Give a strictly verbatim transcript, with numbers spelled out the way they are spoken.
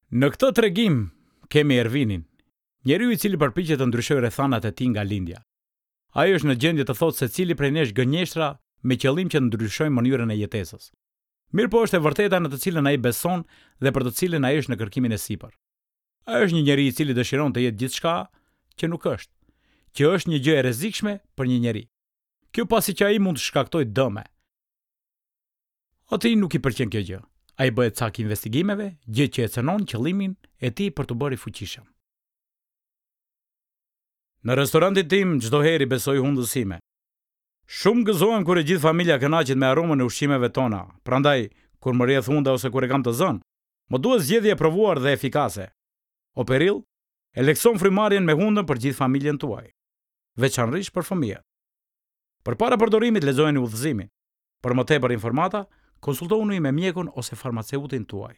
Në këtë tregim kemi Ervinin, njeriu i cili përpiqet të ndryshojë rrethanat e tij nga lindja. Ai është në gjendje të thotë se cili prej nesh gënjeshtra me qëllim që të ndryshojë mënyrën e jetesës. Mirëpo është e vërteta në të cilën ai beson dhe për të cilën ai është në kërkimin e sipër. Ai është një njeri i cili dëshiron të jetë gjithçka që nuk është, që është një gjë e rrezikshme për një njeri. Kjo pasi që ai mund të shkaktojë dëme. Atij nuk i pëlqen kjo gjë. Ai bëhet cak i investigimeve, gjë që e cënon qëllimin e tij për t'u bërë i fuqishëm. Në restorantin tim çdo herë i besoj hundës sime. Shumë gëzohem kur e gjithë familja kënaqet me aromën e ushqimeve tona. Prandaj, kur më rrjedh hunda ose kur e kam të zënë, më duhet zgjedhje e provuar dhe efikase. Operil e lehtëson frymarrjen me hundën për gjithë familjen tuaj, veçanërisht për fëmijët. Përpara përdorimit lexojeni udhëzimin. Për më tepër informata, konsultohuni me mjekun ose farmaceutin tuaj.